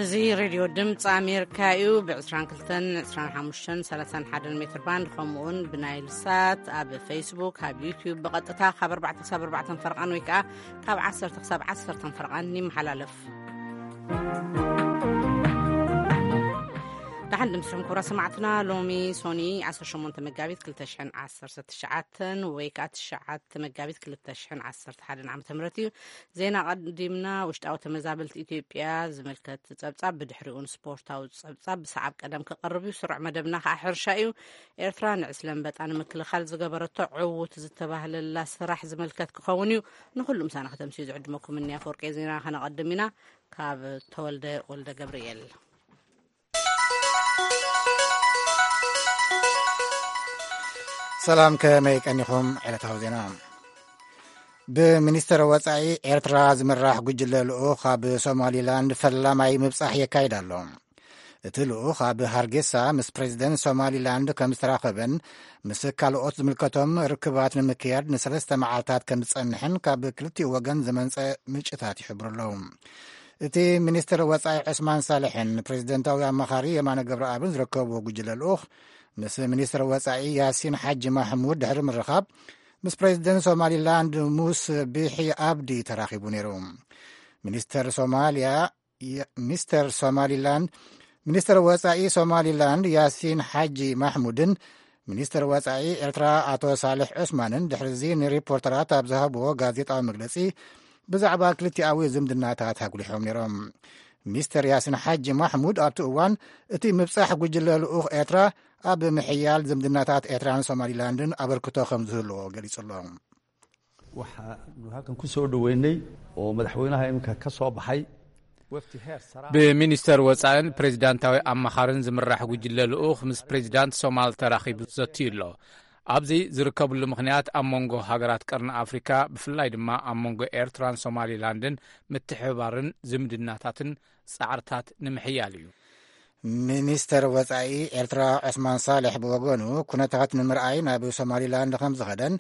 እዚ ሬድዮ ድምፂ ኣሜሪካ እዩ። ብ22፣ 25፣ 31 ሜትር ባንድ፣ ከምኡውን ብናይል ሳት፣ ኣብ ፌስቡክ፣ ኣብ ዩቲዩብ ብቐጥታ ካብ ኣርባዕተ ክሳብ ኣርባዕተ ፈርቓን ወይ ከዓ ካብ ዓሰርተ ክሳብ ዓሰርተ ፈርቓን ይመሓላለፍ። ደሓን ድምፅኹም ክቡራ ሰማዕትና። ሎሚ ሶኒ 18 መጋቢት 2019 ወይ ከዓ 9 መጋቢት 2011 ዓ ም እዩ። ዜና ቀዲምና። ውሽጣዊ ተመዛበልቲ ኢትዮጵያ ዝምልከት ጸብጻብ፣ ብድሕሪኡን ስፖርታዊ ጸብጻብ ብሰዓብ ቀደም ክቐርብ እዩ። ስሩዕ መደብና ከዓ ሕርሻ እዩ። ኤርትራ ንዕስለ ኣንበጣ ንምክልኻል ዝገበረቶ ዕዉት ዝተባህለላ ስራሕ ዝምልከት ክኸውን እዩ። ንኹሉ ምሳና ከተምስዩ ዝዕድመኩም እንያ። ፍርቂ ዜና ከነቐድም ኢና። ካብ ተወልደ ወልደ ገብርኤል። ሰላም፣ ከመይ ቀኒኹም? ዕለታዊ ዜና። ብሚኒስተር ወጻኢ ኤርትራ ዝምራሕ ጉጅለ ልኡኽ ኣብ ሶማሊላንድ ፈላማይ ምብጻሕ የካይድ ኣሎ። እቲ ልኡኽ ኣብ ሃርጌሳ ምስ ፕሬዚደንት ሶማሊላንድ ከም ዝተራኸበን ምስ ካልኦት ዝምልከቶም ርክባት ንምክያድ ንሰለስተ መዓልታት ከም ዝጸንሕን ካብ ክልቲኡ ወገን ዝመንጸ ምንጭታት ይሕብሩ ኣለዉ። እቲ ሚኒስትር ወጻኢ ዑስማን ሳልሕን ፕሬዚደንታዊ ኣማኻሪ የማነ ገብረኣብን ዝርከብዎ ጉጅለ ልኡኽ ምስ ሚኒስትር ወጻኢ ያሲን ሓጂ ማሕሙድ ድሕሪ ምርኻብ ምስ ፕሬዚደንት ሶማሊላንድ ሙስ ቢሒ ኣብዲ ተራኺቡ ነይሩ። ሚኒስተር ሶማልያ የ-፣ ሚስተር ሶማሊላንድ፣ ሚኒስተር ወጻኢ ሶማሊላንድ ያሲን ሓጂ ማሕሙድን ሚኒስተር ወጻኢ ኤርትራ ኣቶ ሳልሕ ዑስማንን ድሕሪዚ ንሪፖርተራት ኣብ ዝሃብዎ ጋዜጣዊ መግለጺ፣ ብዛዕባ ክልቲኣዊ ዝምድናታት ኣጉሊሖም ነይሮም። ሚስተር ያሲን ሓጂ ማሕሙድ ኣብቲ እዋን፣ እቲ ምብጻሕ ጉጅለ ልኡኽ ኤርትራ ኣብ ምሕያል ዝምድናታት ኤርትራን ሶማሊላንድን ኣበርክቶ ከም ዝህልዎ ገሊጹ ኣሎ። Waxaanu halkan ku soo dhaweynay oo madaxweynaha iminka ka soo baxay wafdi heer sare ah. ብሚኒስተር ወጻእን ፕሬዚዳንታዊ ኣማኻርን ዝምራሕ ጉጅለ ልኡኽ ምስ ፕሬዚዳንት ሶማል ተራኺቡ ዘትዩ ኣሎ። ኣብዚ ዝርከብሉ ምኽንያት ኣብ መንጎ ሃገራት ቀርኒ ኣፍሪካ፣ ብፍላይ ድማ ኣብ መንጎ ኤርትራን ሶማሊላንድን ምትሕብባርን ዝምድናታትን ጻዕርታት ንምሕያል እዩ። ሚኒስተር ወጻኢ ኤርትራ ዑስማን ሳልሕ ብወገኑ፣ ኩነታት ንምርኣይ ናብ ሶማሊላንድ ከም ዝኸደን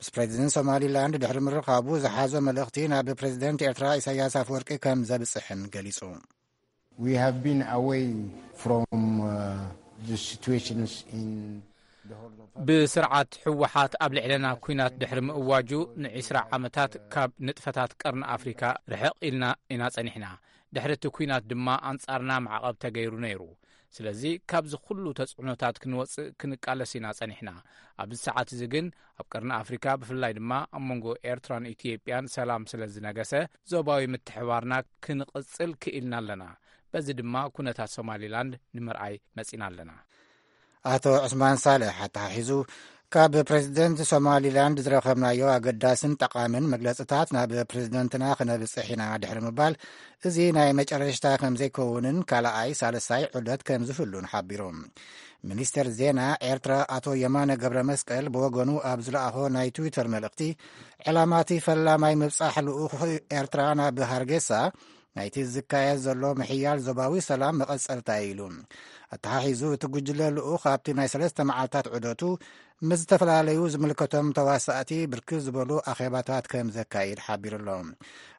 ምስ ፕሬዚደንት ሶማሊላንድ ድሕሪ ምርኻቡ ዝሓዞ መልእኽቲ ናብ ፕሬዚደንት ኤርትራ ኢሳያስ ኣፈወርቂ ከም ዘብጽሕን ገሊጹ። We have been away from uh, the situations in the Horn of Africa. ብስርዓት ህወሓት ኣብ ልዕለና ኲናት ድሕሪ ምእዋጁ ንዒስራ ዓመታት ካብ ንጥፈታት ቀርኒ ኣፍሪካ ርሕቕ ኢልና ኢና ጸኒሕና። ድሕሪ እቲ ኲናት ድማ ኣንጻርና ማዕቐብ ተገይሩ ነይሩ። ስለዚ ካብዚ ኩሉ ተጽዕኖታት ክንወጽእ ክንቃለስ ኢና ጸኒሕና። ኣብዚ ሰዓት እዚ ግን ኣብ ቀርኒ ኣፍሪካ ብፍላይ ድማ ኣብ መንጎ ኤርትራን ኢትዮጵያን ሰላም ስለ ዝነገሰ ዞባዊ ምትሕባርና ክንቕጽል ክኢልና ኣለና። በዚ ድማ ኩነታት ሶማሊላንድ ንምርኣይ መጺና ኣለና። ኣቶ ዑስማን ሳልሕ ኣተሓሒዙ፣ ካብ ፕሬዚደንት ሶማሊላንድ ዝረኸብናዮ ኣገዳስን ጠቓምን መግለጽታት ናብ ፕሬዚደንትና ክነብጽሕ ኢና ድሕሪ ምባል፣ እዚ ናይ መጨረሽታ ከም ዘይከውንን ካልኣይ ሳልሳይ ዑደት ከም ዝህሉን ሓቢሩ። ሚኒስተር ዜና ኤርትራ ኣቶ የማነ ገብረ መስቀል ብወገኑ ኣብ ዝለኣኾ ናይ ትዊተር መልእኽቲ፣ ዕላማቲ ፈላማይ ምብጻሕ ልኡኽ ኤርትራ ናብ ሃርጌሳ ናይቲ ዝካየድ ዘሎ ምሕያል ዞባዊ ሰላም መቐጸልታ እዩ ኢሉ። ኣተሓሒዙ እቲ ጉጅለ ልኡኽ ኣብቲ ናይ ሰለስተ መዓልታት ዑደቱ ምስ ዝተፈላለዩ ዝምልከቶም ተዋሳእቲ ብርክት ዝበሉ ኣኼባታት ከም ዘካይድ ሓቢሩ ኣሎ።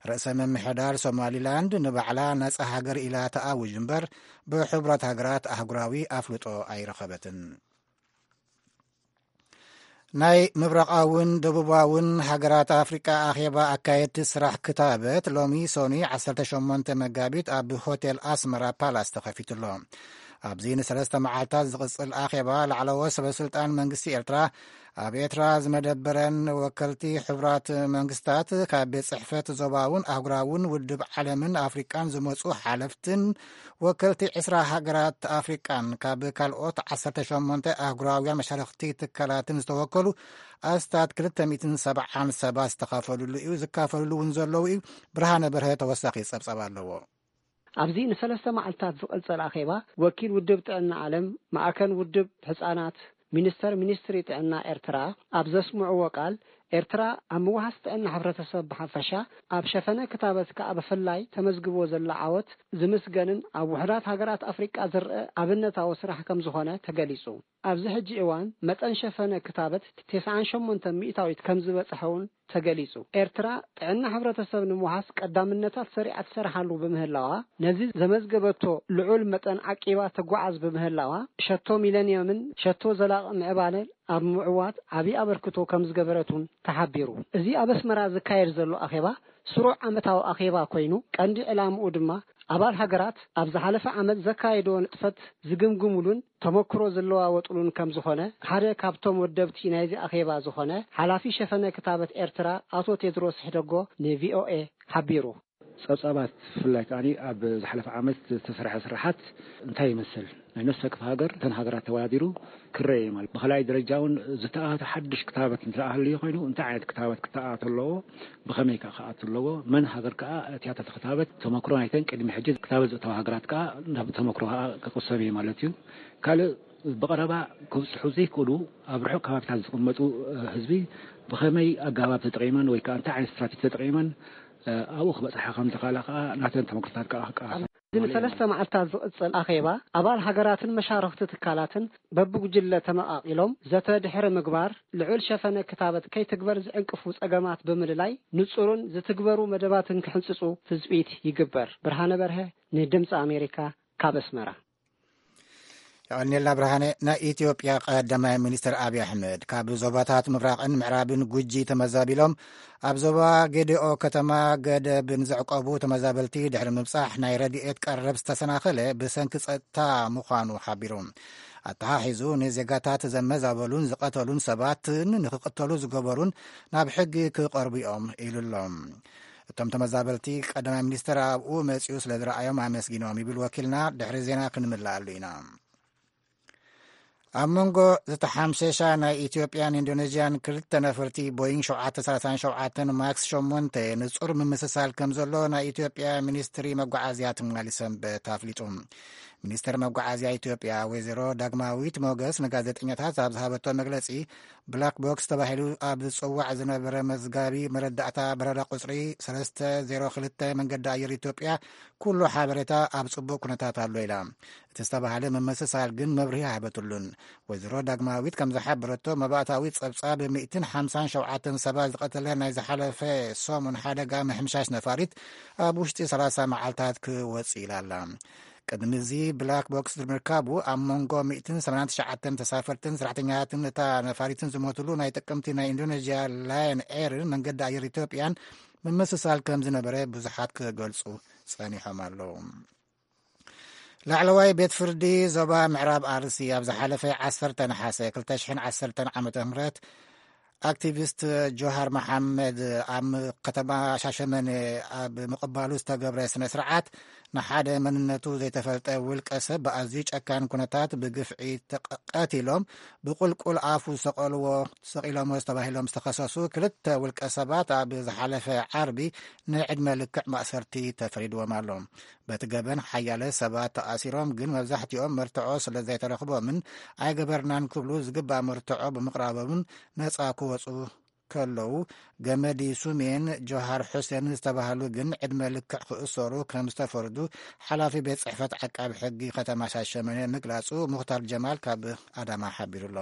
ርእሰ ምምሕዳር ሶማሊላንድ ንባዕላ ነጻ ሃገር ኢላ ተኣውጅ እምበር ብሕቡራት ሃገራት ኣህጉራዊ ኣፍልጦ ኣይረኸበትን። ናይ ምብራቓውን ደቡባውን ሃገራት ኣፍሪቃ ኣኼባ ኣካየድቲ ስራሕ ክታበት ሎሚ ሶኒ 18 መጋቢት ኣብ ሆቴል ኣስመራ ፓላስ ተኸፊቱ ኣሎ። ኣብዚ ንሰለስተ መዓልታት ዝቕጽል ኣኼባ ላዕለዎት ሰበስልጣን መንግስቲ ኤርትራ፣ ኣብ ኤርትራ ዝመደበረን ወከልቲ ሕቡራት መንግስታት ካብ ቤት ጽሕፈት ዞባውን ኣህጉራውን ውድብ ዓለምን ኣፍሪቃን ዝመጹ ሓለፍትን ወከልቲ ዕስራ ሃገራት ኣፍሪቃን ካብ ካልኦት ዓሰርተ ሸሞንተ ኣህጉራውያን መሻርኽቲ ትካላትን ዝተወከሉ ኣስታት ክልተ ሚእትን ሰብዓን ሰባት ዝተኻፈልሉ እዩ። ዝካፈልሉ እውን ዘለዉ እዩ። ብርሃነ በርሀ ተወሳኺ ጸብጻብ ኣለዎ። ኣብዚ ንሰለስተ መዓልታት ዝቕጽል ኣኼባ፣ ወኪል ውድብ ጥዕና ዓለም፣ ማእከል ውድብ ህጻናት፣ ሚኒስተር ሚኒስትሪ ጥዕና ኤርትራ ኣብ ዘስምዕዎ ቃል፣ ኤርትራ ኣብ ምውሃስ ጥዕና ሕብረተሰብ ብሓፈሻ፣ ኣብ ሸፈነ ክታበት ከኣ ብፍላይ ተመዝግቦ ዘላ ዓወት ዝምስገንን ኣብ ውሑዳት ሃገራት ኣፍሪቃ ዝረአ ኣብነታዊ ስራሕ ከም ዝኾነ ተገሊጹ። ኣብዚ ሕጂ እዋን መጠን ሸፈነ ክታበት ተስዓን ሸሞንተን ሚእታዊት ከም ዝበጽሐ እውን ተገሊጹ። ኤርትራ ጥዕና ሕብረተሰብ ንምውሃስ ቀዳምነታት ሰሪዓ ትሰርሓሉ ብምህላዋ፣ ነዚ ዘመዝገበቶ ልዑል መጠን ዓቂባ ትጓዓዝ ብምህላዋ፣ ሸቶ ሚለንየምን ሸቶ ዘላቒ ምዕባለ ኣብ ምዕዋት ዓቢ ኣበርክቶ ከም ዝገበረት እውን ተሓቢሩ። እዚ ኣብ ኣስመራ ዝካየድ ዘሎ ኣኼባ ስሩዕ ዓመታዊ ኣኼባ ኮይኑ፣ ቀንዲ ዕላምኡ ድማ ኣባል ሃገራት ኣብ ዝሓለፈ ዓመት ዘካየድዎ ንጥፈት ዝግምግሙሉን ተመክሮ ዝለዋወጡሉን ከም ዝኾነ ሓደ ካብቶም ወደብቲ ናይዚ ኣኼባ ዝኾነ ሓላፊ ሸፈነ ክታበት ኤርትራ ኣቶ ቴድሮስ ሕደጎ ንቪኦኤ ሓቢሩ። ጸብጻባት ብፍላይ ከኣ ኣብ ዝሓለፈ ዓመት ዝተሰርሐ ስራሓት እንታይ ይመስል? ናይ ነፍሲ ወከፍ ሃገር እተን ሃገራት ተወዳዲሩ ክረአ እዩ ማለት። ብኻልኣይ ደረጃ እውን ዝተኣታተ ሓድሽ ክታበት እንተሃልዩ ኮይኑ እንታይ ዓይነት ክታበት ክተኣት ኣለዎ፣ ብኸመይ ከኣ ክኣቱ ኣለዎ፣ መን ሃገር ከኣ እቲኣተተ ክታበት ተመክሮ ናይተን ቅድሚ ሕጂ ክታበት ዘእተዋ ሃገራት ከኣ ናብ ተመክሮ ከኣ ክቕሰም እዩ ማለት እዩ። ካልእ ብቐረባ ክብጽሑ ዘይክእሉ ኣብ ርሑቕ ከባቢታት ዝቕመጡ ህዝቢ ብኸመይ ኣገባብ ተጠቒመን ወይ ከኣ እንታይ ዓይነት ስትራቴጂ ተጠቒመን ኣብኡ ክበጽሓ ከም ዝኽእላ ከኣ ናተን ተመክሮታት ከኣ ክቀሳሰ እዚ ንሰለስተ መዓልታት ዝቕጽል ኣኼባ ኣባል ሃገራትን መሻርኽቲ ትካላትን በብጉጅለ ተመቓቒሎም ዘተ ድሕሪ ምግባር ልዑል ሸፈነ ክታበት ከይትግበር ዝዕንቅፉ ጸገማት ብምልላይ ንጹርን ዝትግበሩ መደባትን ክሕንጽጹ ትጽቢት ይግበር። ብርሃነ በርሀ ንድምጺ ኣሜሪካ ካብ ኣስመራ። የቐንየልና ብርሃነ። ናይ ኢትዮጵያ ቀዳማይ ሚኒስትር ኣብይ ኣሕመድ ካብ ዞባታት ምብራቕን ምዕራብን ጉጂ ተመዛቢሎም ኣብ ዞባ ጌዴኦ ከተማ ገደብን ዘዕቆቡ ተመዛበልቲ ድሕሪ ምብጻሕ ናይ ረድኤት ቀረብ ዝተሰናኸለ ብሰንኪ ጸጥታ ምዃኑ ሓቢሩ። ኣተሓሒዙ ንዜጋታት ዘመዛበሉን ዝቐተሉን ሰባትን ንክቕተሉ ዝገበሩን ናብ ሕጊ ክቐርቡ እዮም ኢሉ ኣሎ። እቶም ተመዛበልቲ ቀዳማይ ሚኒስትር ኣብኡ መጺኡ ስለ ዝረኣዮም ኣመስጊኖም ይብል ወኪልና። ድሕሪ ዜና ክንምለኣሉ ኢና። ኣብ መንጎ ዝተሓምሸሻ ናይ ኢትዮጵያን ኢንዶኔዥያን ክልተ ነፈርቲ ቦይንግ ሸውዓተ ሰላሳን ሸውዓተን ማክስ ሸሞንተ ንጹር ምምስሳል ከም ዘሎ ናይ ኢትዮጵያ ሚኒስትሪ መጓዓዝያ ትማሊ ሰንበት ኣፍሊጡ። ሚኒስትር መጓዓዝያ ኢትዮጵያ ወይዘሮ ዳግማዊት ሞገስ ንጋዜጠኛታት ኣብ ዝሃበቶ መግለጺ፣ ብላክ ቦክስ ተባሂሉ ኣብ ዝጽዋዕ ዝነበረ መዝጋቢ መረዳእታ በረራ ቁጽሪ ሰለስተ ዜሮ ክልተ መንገዲ ኣየር ኢትዮጵያ ኩሉ ሓበሬታ ኣብ ጽቡቕ ኩነታት ኣሎ ኢላ። እቲ ዝተባህለ ምምስሳል ግን መብርሂ ኣይሃበትሉን። ወይዘሮ ዳግማዊት ከም ዝሓበረቶ፣ መባእታዊ ጸብጻብ ሚእትን ሓምሳን ሸውዓተን ሰባት ዝቐተለ ናይ ዝሓለፈ ሰሙን ሓደጋ ምሕምሻሽ ነፋሪት ኣብ ውሽጢ ሰላሳ መዓልታት ክወጽእ ኢላ ኣላ። ቅድሚ እዚ ብላክ ቦክስ ብምርካቡ ኣብ መንጎ ሚእትን ሰማንያን ትሽዓተን ተሳፈርትን ሰራሕተኛታትን እታ ነፋሪትን ዝሞትሉ ናይ ጥቅምቲ ናይ ኢንዶኔዥያ ላየን ኤርን መንገዲ ኣየር ኢትዮጵያን ምምስሳል ከም ዝነበረ ብዙሓት ክገልጹ ጸኒሖም ኣለዉ። ላዕለዋይ ቤት ፍርዲ ዞባ ምዕራብ ኣርሲ ኣብ ዝሓለፈ ዓሰርተ ነሓሰ ክልተ ሽሕን ዓሰርተን ዓመተ ምህረት ኣክቲቪስት ጆሃር መሓመድ ኣብ ከተማ ሻሸመኔ ኣብ ምቕባሉ ዝተገብረ ስነ ስርዓት ንሓደ መንነቱ ዘይተፈልጠ ውልቀ ሰብ ብኣዝዩ ጨካን ኩነታት ብግፍዒ ተቐ-፣ ቀቲሎም ብቁልቁል ኣፉ ዝሰቐልዎ፣ ሰቒሎሞ ዝተባሂሎም ዝተኸሰሱ ክልተ ውልቀ ሰባት ኣብ ዝሓለፈ ዓርቢ ንዕድመ ልክዕ ማእሰርቲ ተፈሪድዎም ኣሎ። በቲ ገበን ሓያለ ሰባት ተኣሲሮም፣ ግን መብዛሕትኦም መርትዖ ስለ ዘይተረኽቦምን ኣይገበርናን ክብሉ ዝግባእ መርትዖ ብምቕራቦምን ነጻ ክወጹ ከለዉ፣ ገመዲ ሱሜን ጆሃር ሑሴን ዝተባህሉ ግን ዕድመ ልክዕ ክእሰሩ ከም ዝተፈርዱ ሓላፊ ቤት ጽሕፈት ዓቃቢ ሕጊ ከተማ ሻሸመኔ ምግላጹ ሙኽታር ጀማል ካብ ኣዳማ ሓቢሩ ኣሎ።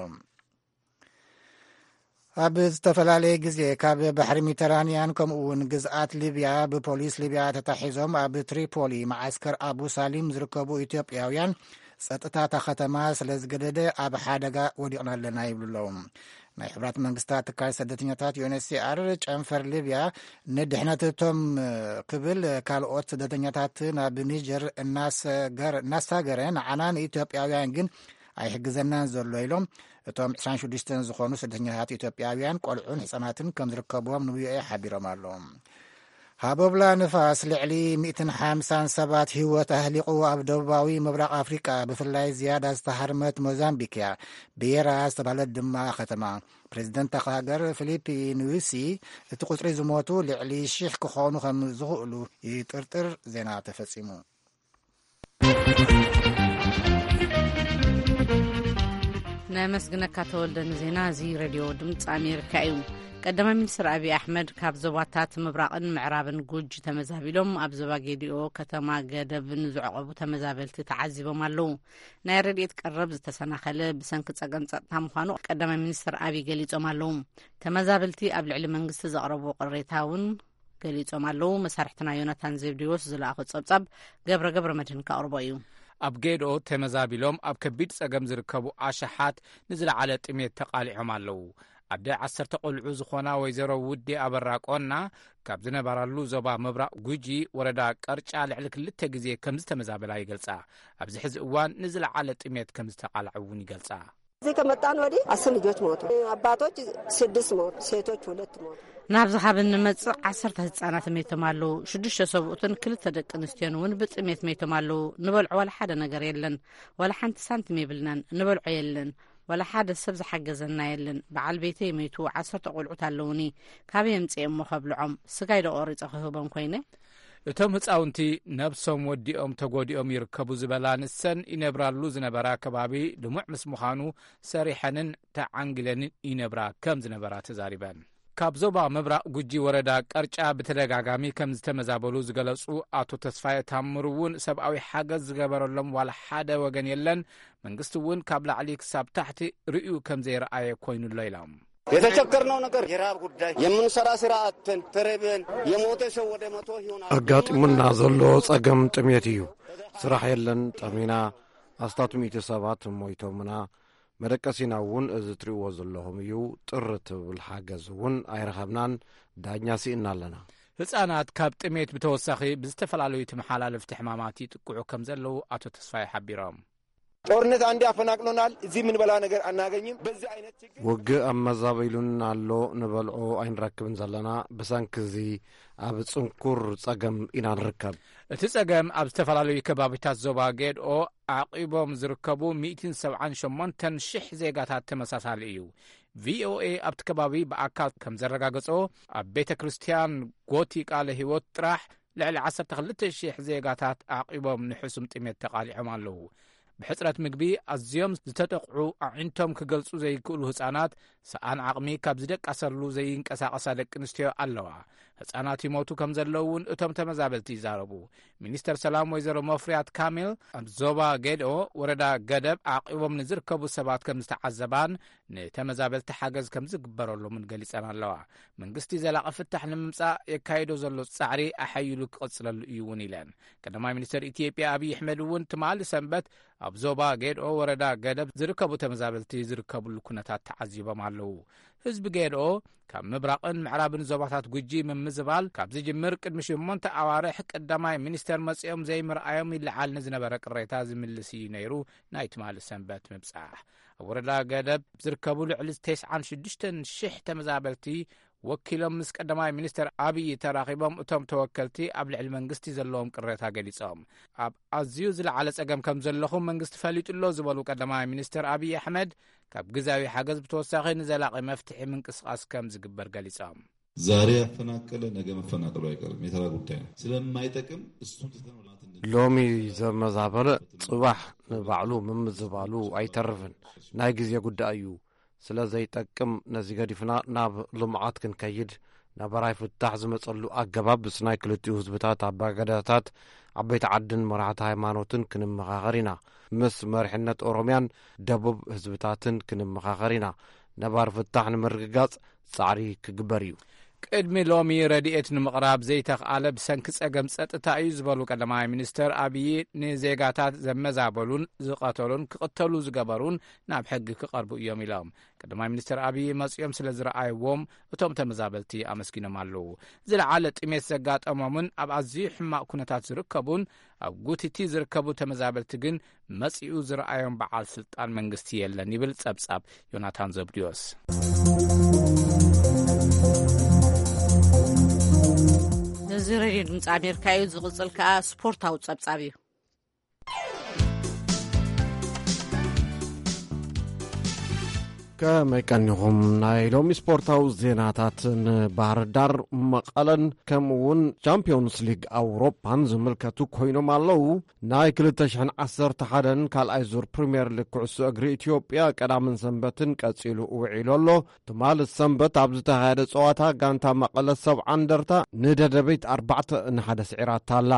ኣብ ዝተፈላለየ ግዜ ካብ ባሕሪ ሜዲተራንያን ከምኡ እውን ግዝኣት ሊብያ ብፖሊስ ሊብያ ተታሒዞም ኣብ ትሪፖሊ መዓስከር ኣቡ ሳሊም ዝርከቡ ኢትዮጵያውያን ጸጥታ እታ ከተማ ስለ ዝገደደ ኣብ ሓደጋ ወዲቕና ኣለና ይብሉ ኣለዉ። ናይ ሕቡራት መንግስታት ትካል ስደተኛታት ዩ ኤን ኤች ሲ ኣር ጨንፈር ሊብያ ንድሕነት እቶም ክብል ካልኦት ስደተኛታት ናብ ኒጀር እናሰገር-፣ እናሳገረ ንዓና ንኢትዮጵያውያን ግን ኣይሕግዘናን ዘሎ ኢሎም እቶም ዕስራን ሽዱሽተን ዝኾኑ ስደተኛታት ኢትዮጵያውያን ቆልዑን ህጻናትን ከም ዝርከብዎም ንቪኦኤ ሓቢሮም ኣለዉ። ሃቦብላ ንፋስ ልዕሊ ሚእትን ሓምሳን ሰባት ህይወት ኣህሊቑ ኣብ ደቡባዊ ምብራቕ ኣፍሪቃ ብፍላይ ዝያዳ ዝተሃርመት ሞዛምቢክ እያ። ብየራ ዝተባህለት ድማ ከተማ። ፕሬዚደንት እታ ሃገር ፊሊፒ ኑዩሲ እቲ ቁጽሪ ዝሞቱ ልዕሊ ሺሕ ክኾኑ ከም ዝኽእሉ ይጥርጥር። ዜና ተፈጺሙ። ነመስግነካ ተወልደ ንዜና እዚ። ሬድዮ ድምፂ ኣሜሪካ እዩ። ቀዳማይ ሚኒስትር ኣብይ ኣሕመድ ካብ ዞባታት ምብራቕን ምዕራብን ጉጂ ተመዛቢሎም ኣብ ዞባ ጌዲኦ ከተማ ገደብ ንዝዕቐቡ ተመዛበልቲ ተዓዚቦም ኣለዉ። ናይ ረድኤት ቀረብ ዝተሰናኸለ ብሰንኪ ጸገም ጸጥታ ምዃኑ ቀዳማይ ሚኒስትር ኣብይ ገሊጾም ኣለዉ። ተመዛበልቲ ኣብ ልዕሊ መንግስቲ ዘቕረብዎ ቅሬታ እውን ገሊጾም ኣለዉ። መሳርሕትና ዮናታን ዘብዴዎስ ዝለኣኾ ጸብጻብ ገብረ ገብረ መድህን ከቕርቦ እዩ። ኣብ ጌድኦ ተመዛቢሎም ኣብ ከቢድ ጸገም ዝርከቡ ኣሽሓት ንዝለዓለ ጥሜት ተቓሊዖም ኣለዉ። ኣደ ዓሰርተ ቆልዑ ዝኾና ወይዘሮ ውዴ ኣበራ ቆና ካብ ዝነበራሉ ዞባ ምብራቕ ጉጂ ወረዳ ቀርጫ ልዕሊ ክልተ ግዜ ከም ዝተመዛበላ ይገልጻ። ኣብዚ ሕዚ እዋን ንዝለዓለ ጥሜት ከም ዝተቓልዐ እውን ይገልጻ። እዚህ ከመጣን ወዲህ አስር ልጆች ሞቱ። አባቶች ስድስት ሞቱ፣ ሴቶች ሁለት ሞቱ። ናብዚ ካብ እንመጽእ ዓሰርተ ህጻናት መይቶም ኣለዉ። ሽዱሽተ ሰብኡትን ክልተ ደቂ ኣንስትዮን እውን ብጥሜት መይቶም ኣለዉ። ንበልዖ ዋላ ሓደ ነገር የለን። ዋላ ሓንቲ ሳንቲም የብልናን። ንበልዖ የለን። ዋላ ሓደ ሰብ ዝሓገዘና የለን። በዓል ቤተይ መይቱ፣ ዓሰርተ ቆልዑት ኣለዉኒ። ካበይ የምጽኤ እሞ ከብልዖም? ስጋይ ዶ ቆሪጸ ክህቦም ኮይነ? እቶም ህጻውንቲ ነብሶም ወዲኦም ተጎዲኦም ይርከቡ ዝበላ ንሰን ይነብራሉ ዝነበራ ከባቢ ልሙዕ ምስ ምዃኑ ሰሪሐንን ተዓንጊለንን ይነብራ ከም ዝነበራ ተዛሪበን። ካብ ዞባ ምብራቕ ጉጂ ወረዳ ቀርጫ ብተደጋጋሚ ከም ዝተመዛበሉ ዝገለጹ ኣቶ ተስፋየ ታምሩ እውን ሰብኣዊ ሓገዝ ዝገበረሎም ዋላ ሓደ ወገን የለን። መንግስቲ እውን ካብ ላዕሊ ክሳብ ታሕቲ ርእዩ ከም ዘይረኣየ ኮይኑሎ ኢሎም። የተቸገርነው ነገር የራብ ጉዳይ፣ የምንሰራ ስራ አጥተን ተረበን የሞተ ሰው ወደ መቶ ይሆናል። ኣጋጢሙና ዘሎ ጸገም ጥሜት እዩ። ስራሕ የለን፣ ጠሚና ኣስታት ሚእቲ ሰባት ሞይቶምና። መደቀሲና እውን እዚ ትርእይዎ ዘለኹም እዩ። ጥር ትብል ሓገዝ እውን ኣይረኸብናን። ዳኛ ስኢና ኣለና። ህጻናት ካብ ጥሜት ብተወሳኺ ብዝተፈላለዩ ተመሓላለፍቲ ሕማማት ይጥቅዑ ከም ዘለዉ ኣቶ ተስፋይ ሓቢሮም። ጦርነት አንዴ አፈናቅሎናል። እዚህ የምንበላ ነገር አናገኝም። በዚህ አይነት ችግር ውግእ ኣመዛቢሉን ኣሎ። ንበልዖ ኣይንረክብን ዘለና። ብሰንኪ እዚ ኣብ ጽንኩር ጸገም ኢና ንርከብ። እቲ ጸገም ኣብ ዝተፈላለዩ ከባቢታት ዞባ ጌድኦ ዓቂቦም ዝርከቡ ሚእትን ሰብዓን ሸሞንተን ሽሕ ዜጋታት ተመሳሳሊ እዩ። ቪኦኤ ኣብቲ ከባቢ ብኣካል ከም ዘረጋገጾ ኣብ ቤተ ክርስቲያን ጎቲ ቃለ ህይወት ጥራሕ ልዕሊ ዓሰርተ ክልተ ሽሕ ዜጋታት ዓቂቦም ንሕሱም ጥሜት ተቓሊዖም ኣለዉ። ብሕጽረት ምግቢ ኣዝዮም ዝተጠቕዑ ኣዒንቶም ክገልጹ ዘይክእሉ ህጻናት ሰኣን ዓቕሚ ካብ ዝደቃሰሉ ዘይንቀሳቐሳ ደቂ ኣንስትዮ ኣለዋ። ህጻናት ይሞቱ ከም ዘለዉ እውን እቶም ተመዛበልቲ ይዛረቡ። ሚኒስተር ሰላም ወይዘሮ መፍርያት ካሚል ኣብ ዞባ ጌድኦ ወረዳ ገደብ ዓቂቦም ንዝርከቡ ሰባት ከም ዝተዓዘባን ንተመዛበልቲ ሓገዝ ከም ዝግበረሎምን ገሊጸን ኣለዋ። መንግስቲ ዘላቒ ፍታሕ ንምምጻእ የካይዶ ዘሎ ጻዕሪ ኣሐይሉ ክቕጽለሉ እዩ እውን ኢለን። ቀዳማይ ሚኒስተር ኢትዮጵያ ኣብይ ኣሕመድ እውን ትማሊ ሰንበት ኣብ ዞባ ጌድኦ ወረዳ ገደብ ዝርከቡ ተመዛበልቲ ዝርከብሉ ኩነታት ተዓዚቦም ኣለዉ። ህዝቢ ጌድኦ ካብ ምብራቕን ምዕራብን ዞባታት ጉጂ ምምዝባል ካብ ዝጅምር ቅድሚ ሽሞንተ ኣዋርሕ ቀዳማይ ሚኒስተር መጺኦም ዘይምርኣዮም ይለዓል ንዝነበረ ቅሬታ ዝምልስ እዩ ነይሩ። ናይ ትማሊ ሰንበት ምብጻሕ ኣብ ወረዳ ገደብ ዝርከቡ ልዕሊ ተስዓን ሽዱሽተን ሽሕ ተመዛበልቲ ወኪሎም ምስ ቀዳማይ ሚኒስተር ኣብይ ተራኺቦም እቶም ተወከልቲ ኣብ ልዕሊ መንግስቲ ዘለዎም ቅሬታ ገሊጾም። ኣብ ኣዝዩ ዝለዓለ ጸገም ከም ዘለኹም መንግስቲ ፈሊጡ ኣሎ ዝበሉ ቀዳማይ ሚኒስተር ኣብይ ኣሕመድ ካብ ግዝያዊ ሓገዝ ብተወሳኺ ንዘላቒ መፍትሒ ምንቅስቓስ ከም ዝግበር ገሊጾም። ዛሬ ያፈናቀለ ነገ መፈናቀሉ አይቀርም፣ የተራ ጉዳይ ነው። ስለማይጠቅም እሱን ትተን ወደ ልማት እንድንሄድ ሎሚ ዘመዛበለ ጽባሕ ንባዕሉ ምምዝባሉ ኣይተርፍን፣ ናይ ግዜ ጉዳይ እዩ። ስለ ዘይጠቅም ነዚ ገዲፍና ናብ ልምዓት ክንከይድ ነባራይ ፍታሕ ዝመጸሉ ኣገባብ ምስ ናይ ክልቲኡ ህዝብታት ኣባገዳታት ዓበይቲ ዓድን መራሕቲ ሃይማኖትን ክንመኻኸር ኢና። ምስ መሪሕነት ኦሮምያን ደቡብ ህዝብታትን ክንመኻኸር ኢና። ነባር ፍታሕ ንምርግጋጽ ጻዕሪ ክግበር እዩ። ቅድሚ ሎሚ ረድኤት ንምቕራብ ዘይተኽኣለ ብሰንኪ ጸገም ጸጥታ እዩ ዝበሉ ቀዳማይ ሚኒስተር ኣብዪ፣ ንዜጋታት ዘመዛበሉን ዝቐተሉን ክቕተሉ ዝገበሩን ናብ ሕጊ ክቐርቡ እዮም ኢሎም። ቀዳማይ ሚኒስተር ኣብዪ መጺኦም ስለ ዝረኣይዎም እቶም ተመዛበልቲ ኣመስጊኖም ኣለዉ። ዝለዓለ ጥሜት ዘጋጠሞምን ኣብ ኣዝዩ ሕማቕ ኩነታት ዝርከቡን ኣብ ጉቲቲ ዝርከቡ ተመዛበልቲ ግን መጺኡ ዝረኣዮም በዓል ስልጣን መንግስቲ የለን ይብል ጸብጻብ ዮናታን ዘብድዮስ። እዚ ሬድዮ ድምፂ ኣሜሪካ እዩ። ዝቕፅል ከኣ ስፖርታዊ ጸብጻብ እዩ። ከመይ ቀኒኹም? ናይ ሎሚ ስፖርታዊ ዜናታት ንባህር ዳር፣ መቐለን ከምኡ እውን ቻምፒዮንስ ሊግ ኣውሮፓን ዝምልከቱ ኮይኖም ኣለዉ። ናይ ክልተ ሽሕን ዓሰርተ ሓደን ካልኣይ ዙር ፕሪምየር ሊግ ኩዕሶ እግሪ ኢትዮጵያ ቀዳምን ሰንበትን ቀጺሉ ውዒሉ ኣሎ። ትማሊ ሰንበት ኣብ ዝተኻየደ ጸዋታ፣ ጋንታ መቐለ ሰብዓ እንደርታ ንደደቢት ኣርባዕተ ንሓደ ስዒራታ ኣላ።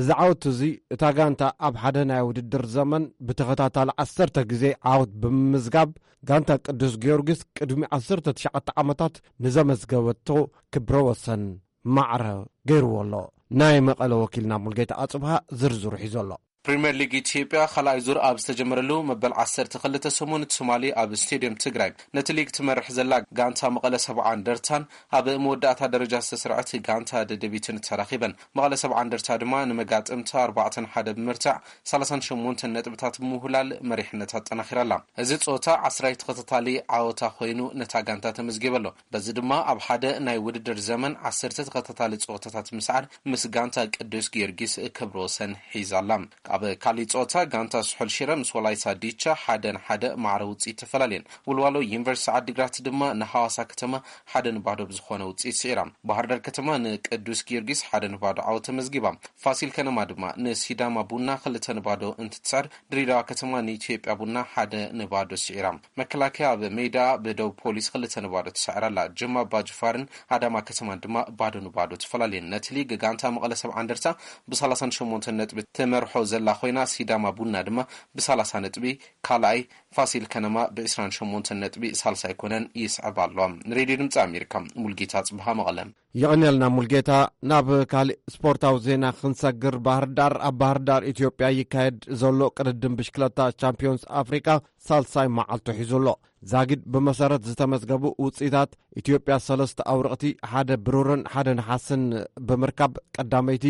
እዚ ዓወት እዚ፣ እታ ጋንታ ኣብ ሓደ ናይ ውድድር ዘመን ብተኸታታሊ ዓሰርተ ግዜ ዓወት ብምምዝጋብ፣ ጋንታ ቅዱስ ጊዮርጊስ ቅድሚ ዓሰርተ ትሽዓተ ዓመታት ንዘመዝገበቶ ክብረ ወሰን ማዕረ ገይርዎ ኣሎ። ናይ መቐለ ወኪልና ሙልጌታ ኣጽብሃ ዝርዝሩ ሒዙ ኣሎ። ፕሪምየር ሊግ ኢትዮጵያ ካልኣይ ዙር ኣብ ዝተጀመረሉ መበል ዓሰርተ ክልተ ሰሙን ትማሊ ኣብ ስቴድየም ትግራይ ነቲ ሊግ ትመርሕ ዘላ ጋንታ መቐለ ሰብዓ እንደርታን ኣብ መወዳእታ ደረጃ ዝተስርዐት ጋንታ ደደቢትን ተራኺበን። መቐለ ሰብዓ እንደርታ ድማ ንመጋጥምታ ኣርባዕተ ንሓደ ብምርታዕ ሰላሳን ሸሞንተን ነጥብታት ብምውህላል መሪሕነት ኣጠናኺራ ኣላ። እዚ ጸወታ ዓስራይ ተኸታታሊ ዓወታ ኮይኑ ነታ ጋንታ ተመዝጊቡ ኣሎ። በዚ ድማ ኣብ ሓደ ናይ ውድድር ዘመን ዓሰርተ ተኸታታሊ ጸወታታት ምስዓር ምስ ጋንታ ቅዱስ ጊዮርጊስ ክብረ ወሰን ሒዛ ኣላ። ኣብ ካሊእ ጸወታ ጋንታ ስሑል ሽረ ምስ ወላይታ ዲቻ ሓደ ንሓደ ማዕረ ውጽኢት ተፈላልየን። ወልዋሎ ዩኒቨርሲቲ ዓዲግራት ድማ ንሃዋሳ ከተማ ሓደ ንባዶ ብዝኾነ ውጽኢት ስዒራ። ባህር ዳር ከተማ ንቅዱስ ጊዮርጊስ ሓደ ንባዶ ዓወት ተመዝጊባ። ፋሲል ከነማ ድማ ንሲዳማ ቡና ክልተ ንባዶ እንትትስዕር፣ ድሬዳዋ ከተማ ንኢትዮጵያ ቡና ሓደ ንባዶ ስዒራ። መከላከያ ኣብ ሜዳ ብደቡብ ፖሊስ ክልተ ንባዶ ትስዕር ኣላ። ጅማ ኣባጅፋርን ኣዳማ ከተማን ድማ ባዶ ንባዶ ተፈላለየን። ነቲ ሊግ ጋንታ መቐለ ሰብዓ እንደርታ ብሰላሳን ሸሞንተን ነጥቢ ትመርሖ ዘላ ኮይና፣ ሲዳማ ቡና ድማ ብሰላሳ ነጥቢ ካልኣይ፣ ፋሲል ከነማ ብዕስራን ሸሞንተን ነጥቢ ሳልሳይ ኮነን ይስዕብ ኣሎ። ንሬድዮ ድምፂ ኣሜሪካ፣ ሙልጌታ ጽብሃ፣ መቐለ። የቐንየልና ሙልጌታ። ናብ ካልእ ስፖርታዊ ዜና ክንሰግር፣ ባህር ዳር፣ ኣብ ባህር ዳር ኢትዮጵያ ይካየድ ዘሎ ቅድድም ብሽክለታ ቻምፒዮንስ ኣፍሪቃ ሳልሳይ መዓልቱ ሒዙ ኣሎ። ዛጊድ ብመሰረት ዝተመዝገቡ ውጽኢታት፣ ኢትዮጵያ ሰለስተ ኣውረቕቲ፣ ሓደ ብሩርን ሓደ ነሓስን ብምርካብ ቀዳመይቲ፣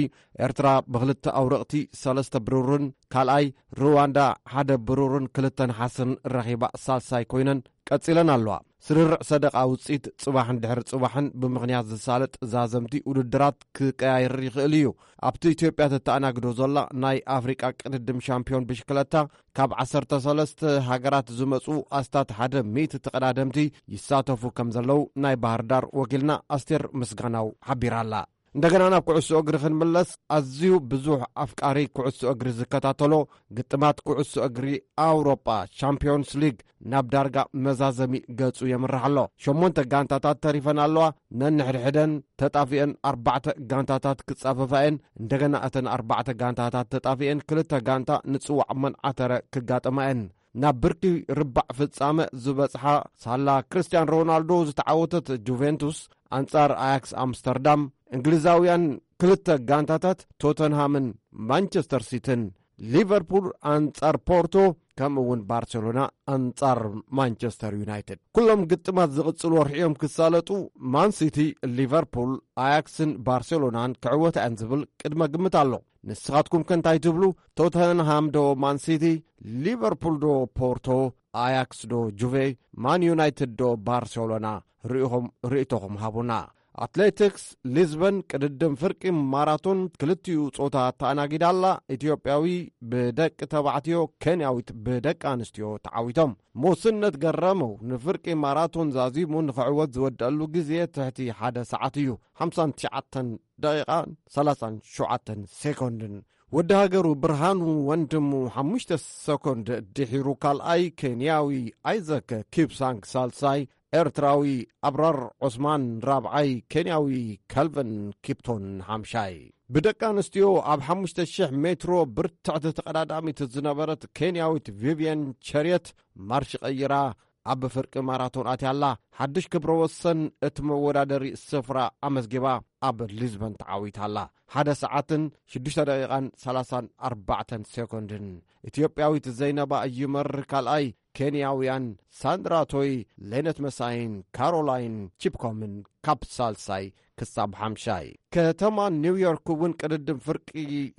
ኤርትራ ብክልተ ኣውረቕቲ፣ ሰለስተ ብሩርን ካልኣይ፣ ሩዋንዳ ሓደ ብሩርን ክልተ ነሓስን ረኺባ ሳልሳይ ኮይነን ቀጺለን ኣለዋ። ስርርዕ ሰደቓ ውጽኢት ጽባሕን ድሕሪ ጽባሕን ብምኽንያት ዝሳለጥ ዛዘምቲ ውድድራት ክቀያየር ይኽእል እዩ። ኣብቲ ኢትዮጵያ ተተኣናግዶ ዘላ ናይ ኣፍሪቃ ቅድድም ሻምፒዮን ብሽክለታ፣ ካብ ዓሰርተ ሰለስተ ሃገራት ዝመጹ ኣስታት ሓደ ሚእቲ ተቐዳደምቲ ይሳተፉ ከም ዘለዉ ናይ ባህር ዳር ወኪልና ኣስቴር ምስጋናው ሓቢራ ኣላ። እንደገና ናብ ኩዕሶ እግሪ ክንምለስ፣ ኣዝዩ ብዙሕ ኣፍቃሪ ኩዕሶ እግሪ ዝከታተሎ ግጥማት ኩዕሶ እግሪ ኣውሮጳ ቻምፒዮንስ ሊግ ናብ ዳርጋ መዛዘሚ ገጹ የምርሕ ኣሎ። ሸሞንተ ጋንታታት ተሪፈን ኣለዋ። ነንሕድሕደን ተጣፊአን ኣርባዕተ ጋንታታት ክጻፈፋ እየን። እንደገና እተን ኣርባዕተ ጋንታታት ተጣፊአን ክልተ ጋንታ ንጽዋዕ መን ዓተረ ክጋጠማ እየን። ናብ ብርኪ ርባዕ ፍጻመ ዝበጽሓ፣ ሳላ ክርስቲያን ሮናልዶ ዝተዓወተት ጁቬንቱስ ኣንጻር ኣያክስ ኣምስተርዳም፣ እንግሊዛውያን ክልተ ጋንታታት ቶተንሃምን ማንቸስተር ሲትን፣ ሊቨርፑል ኣንጻር ፖርቶ፣ ከምኡ እውን ባርሴሎና ኣንጻር ማንቸስተር ዩናይትድ። ኩሎም ግጥማት ዝቕጽል ወርሒ እዮም ክሳለጡ። ማን ሲቲ፣ ሊቨርፑል፣ ኣያክስን ባርሴሎናን ክዕወታ እየን ዝብል ቅድመ ግምት ኣሎ። ንስኻትኩም ከ እንታይ ትብሉ? ቶተንሃም ዶ ማን ሲቲ? ሊቨርፑል ዶ ፖርቶ? ኣያክስ ዶ ጁቬ? ማን ዩናይትድ ዶ ባርሴሎና? ርኢኹም ርእይቶኹም ሃቡና። ኣትሌቲክስ ሊዝበን ቅድድም ፍርቂ ማራቶን ክልቲኡ ጾታ ተኣናጊዳ ኣላ። ኢትዮጵያዊ ብደቂ ተባዕትዮ፣ ኬንያዊት ብደቂ ኣንስትዮ ተዓዊቶም። ሞስነት ገረመው ንፍርቂ ማራቶን ዛዚሙ ንኽዕወት ዝወደአሉ ግዜ ትሕቲ ሓደ ሰዓት እዩ፣ ሓምሳን ትሽዓተን ደቂቓን ሰላሳን ሸውዓተን ሴኮንድን። ወዲ ሃገሩ ብርሃኑ ወንድሙ ሓሙሽተ ሰኮንድ ድሒሩ ካልኣይ፣ ኬንያዊ ኣይዘክ ኪፕሳንግ ሳልሳይ፣ ኤርትራዊ ኣብራር ዑስማን ራብዓይ፣ ኬንያዊ ካልቨን ኪፕቶን ሓምሻይ። ብደቂ ኣንስትዮ ኣብ ሓሙሽተ ሽሕ ሜትሮ ብርትዕቲ ተቐዳዳሚት ዝነበረት ኬንያዊት ቪቪየን ቸርየት ማርሽ ቀይራ ኣብ ፍርቂ ማራቶን ኣትያ ኣላ። ሓድሽ ክብረ ወሰን እቲ መወዳደሪ ስፍራ ኣመዝጊባ ኣብ ሊዝበን ተዓዊታ ኣላ። ሓደ ሰዓትን ሽዱሽተ ደቂቓን ሰላሳን ኣርባዕተን ሴኮንድን። ኢትዮጵያዊት ዘይነባ ይመር ካልኣይ፣ ኬንያውያን ሳንድራ ቶይ፣ ሌነት መሳይን ካሮላይን ቺፕኮምን ካብ ሳልሳይ ክሳብ ሓምሻይ። ከተማ ኒውዮርክ እውን ቅድድም ፍርቂ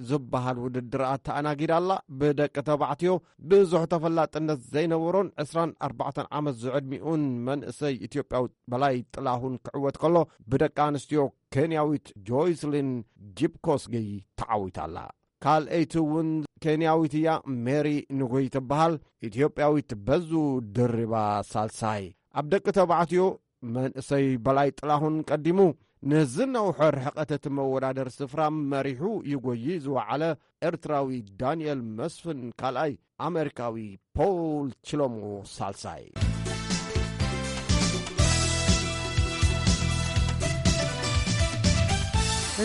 ዝበሃል ውድድር ኣተኣናጊዳ ኣላ። ብደቂ ተባዕትዮ ብዙሕ ተፈላጥነት ዘይነበሮን ዕስራን ኣርባዕተን ዓመት ዝዕድሚኡን መንእሰይ ኢትዮጵያዊ በላይ ጥላሁን ክዕወት ከሎ፣ ብደቂ ኣንስትዮ ኬንያዊት ጆይስሊን ጂፕኮስጊ ተዓዊታ ኣላ። ካልኣይቲ እውን ኬንያዊት እያ፣ ሜሪ ንጉይ ትበሃል። ኢትዮጵያዊት በዙ ድሪባ ሳልሳይ። ኣብ ደቂ ተባዕትዮ መንእሰይ በላይ ጥላሁን ቀዲሙ ነዚ ነውሖ ርሕቀት እቲ መወዳደር ስፍራ መሪሑ ይጎዪ ዝወዓለ ኤርትራዊ ዳንኤል መስፍን ካልኣይ፣ ኣሜሪካዊ ፖል ችሎሞ ሳልሳይ።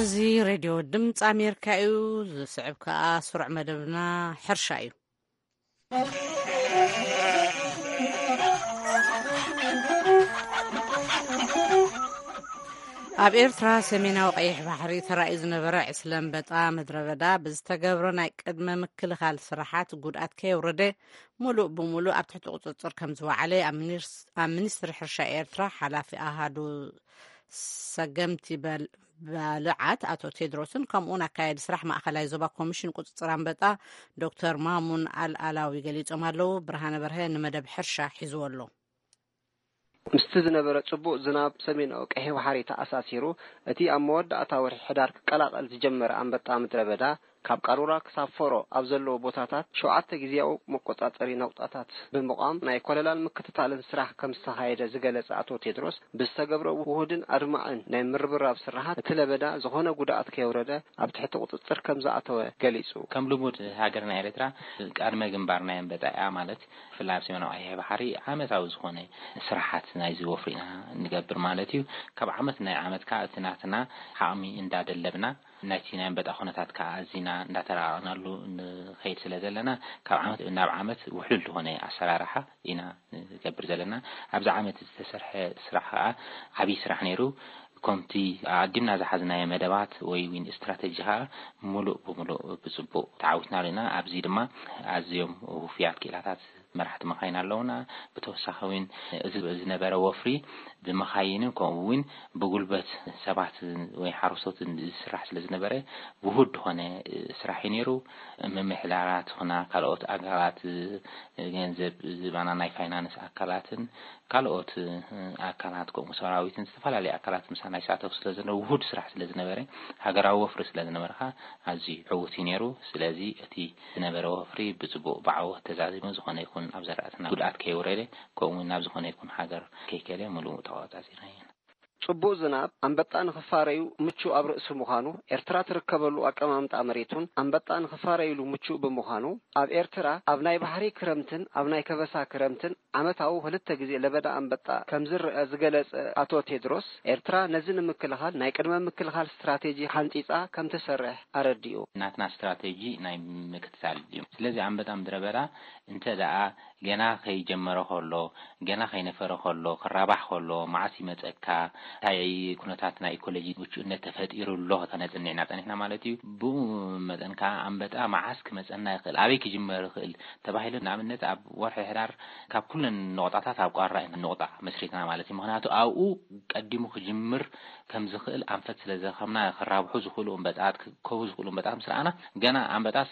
እዚ ሬድዮ ድምፂ ኣሜሪካ እዩ። ዝስዕብ ከኣ ስሩዕ መደብና ሕርሻ እዩ። ኣብ ኤርትራ ሰሜናዊ ቀይሕ ባሕሪ ተራእዩ ዝነበረ ዕስለ ኣንበጣ ምድረ በዳ ብዝተገብረ ናይ ቅድመ ምክልኻል ስራሓት ጉድኣት ከየውረደ፣ ሙሉእ ብሙሉእ ኣብ ትሕቲ ቁፅፅር ከም ዝወዓለ ኣብ ሚኒስ-፣ ኣብ ሚኒስትሪ ሕርሻ ኤርትራ ሓላፊ ኣሃዱ ሰገምቲ በል-፣ ባልዓት ኣቶ ቴድሮስን ከምኡውን ኣካያዲ ስራሕ ማእኸላይ ዞባ ኮሚሽን ቁፅፅር ኣንበጣ ዶክተር ማሙን ኣልኣላዊ ገሊፆም ኣለዉ። ብርሃነ በርሀ ንመደብ ሕርሻ ሒዝዎ ኣሎ። ምስቲ ዝነበረ ጽቡቕ ዝናብ ሰሜናዊ ቀይሕ ባሕሪ ተኣሳሲሩ፣ እቲ ኣብ መወዳእታ ወርሒ ሕዳር ክቀላቐል ዝጀመረ ኣንበጣ ምድረ በዳ፣ ካብ ቃሩራ ክሳብ ፎሮ ኣብ ዘለዉ ቦታታት ሸውዓተ ግዜያዊ መቆጻጸሪ ነቑጣታት ብምቋም ናይ ኮለላን ምክትታልን ስራሕ ከም ዝተኻየደ ዝገለጸ ኣቶ ቴድሮስ፣ ብዝተገብረ ውሁድን ኣድማዕን ናይ ምርብራብ ስራሓት፣ እቲ ለበዳ ዝኾነ ጉድኣት ከየውረደ ኣብ ትሕቲ ቁጽጽር ከም ዝኣተወ ገሊጹ። ከም ልሙድ ሃገርና ኤርትራ ቀድመ ግንባር ናይ ኣንበጣ እያ፣ ማለት ብፍላይ ኣብ ሰሜናዊ ቀይሕ ባሕሪ ዓመታዊ ዝኾነ ስራሓት ናይዚ ወፍሪ ኢና ንገብር ማለት እዩ። ካብ ዓመት ናይ ዓመት ከኣ እቲ ናትና ዓቕሚ እንዳደለብና፣ ናይቲ ናይ ኣንበጣ ኩነታት ከኣ ኣዚና እንዳተራቐቕናሉ ንኸይድ ስለ ዘለና፣ ካብ ዓመት ናብ ዓመት ውሕሉል ዝኾነ ኣሰራርሓ ኢና ንገብር ዘለና። ኣብዚ ዓመት ዝተሰርሐ ስራሕ ከኣ ዓብዪ ስራሕ ነይሩ። ከምቲ ኣቐዲምና ዝሓዝናዮ መደባት ወይ እውን ስትራተጂ ከኣ ምሉእ ብምሉእ ብጽቡቕ ተዓዊትናሉ ኢና። ኣብዚ ድማ ኣዝዮም ውፉያት ክኢላታት መራሕቲ መኻይን ኣለውና። ብተወሳኺ እውን እዚ ዝነበረ ወፍሪ ብመኻይንን ከምኡ እውን ብጉልበት ሰባት ወይ ሓረስቶትን ዝስራሕ ስለ ዝነበረ ውሁድ ዝኾነ ስራሕ እዩ ነይሩ። ምምሕዳራት ኹና ካልኦት ኣካላት ገንዘብ ዝባና ናይ ፋይናንስ ኣካላትን ካልኦት ኣካላት ከምኡ ሰራዊትን ዝተፈላለዩ ኣካላት ምሳና ይሳተፉ ስለ ዝነበሩ ውሁድ ስራሕ ስለ ዝነበረ ሃገራዊ ወፍሪ ስለ ዝነበረ ከዓ ኣዝዩ ዕዉት እዩ ነይሩ። ስለዚ እቲ ዝነበረ ወፍሪ ብጽቡቕ ብዓወት ተዛዚሙ ዝኾነ ይኹን ኣብ ዘራእትና ጉድኣት ከየውረደ ከምኡ እውን ናብ ዝኾነ ይኹን ሃገር ከይከለ ምሉእ ተቆጻጺርና ኢና። ጽቡቕ ዝናብ ኣንበጣ ንኽፋረዩ ምቹእ ኣብ ርእሲ ምዃኑ፣ ኤርትራ ትርከበሉ ኣቀማምጣ መሬቱን ኣንበጣ ንኽፋረዩሉ ምቹእ ብምዃኑ፣ ኣብ ኤርትራ ኣብ ናይ ባሕሪ ክረምትን ኣብ ናይ ከበሳ ክረምትን ዓመታዊ ክልተ ግዜ ለበዳ ኣንበጣ ከም ዝረአ ዝገለጸ ኣቶ ቴድሮስ፣ ኤርትራ ነዚ ንምክልኻል ናይ ቅድመ ምክልኻል ስትራቴጂ ሓንጺጻ ከም ትሰርሕ ኣረዲኡ። ናትና ስትራቴጂ ናይ ምክትታል እዩ። ስለዚ ኣንበጣ ምድረ በዳ እንተ ደኣ ገና ከይጀመረ ከሎ፣ ገና ከይነፈረ ከሎ፣ ክራባሕ ከሎ፣ መዓስ ይመጸካ፣ እንታይ ኩነታት ናይ ኢኮሎጂ ምቹእነት ተፈጢሩ ኣሎ ከተነጽንዕና ጸኒሕና ማለት እዩ። ብኡ መጠን ከኣ ኣንበጣ መዓስ ክመጸና ይኽእል፣ ኣበይ ክጅመር ይኽእል ተባሂሉ፣ ንኣብነት ኣብ ወርሒ ሕዳር ካብ ኩለን ነቑጣታት ኣብ ቋራ ኢና ነቑጣ መስሪትና ማለት እዩ። ምኽንያቱ ኣብኡ ቀዲሙ ክጅምር ከም ዝኽእል ኣንፈት ስለ ዝረኸብና፣ ክራብሑ ዝኽእሉ ኣንበጣት፣ ክከቡ ዝኽእሉ ኣንበጣት ምስ ረኣና፣ ገና ኣንበጣስ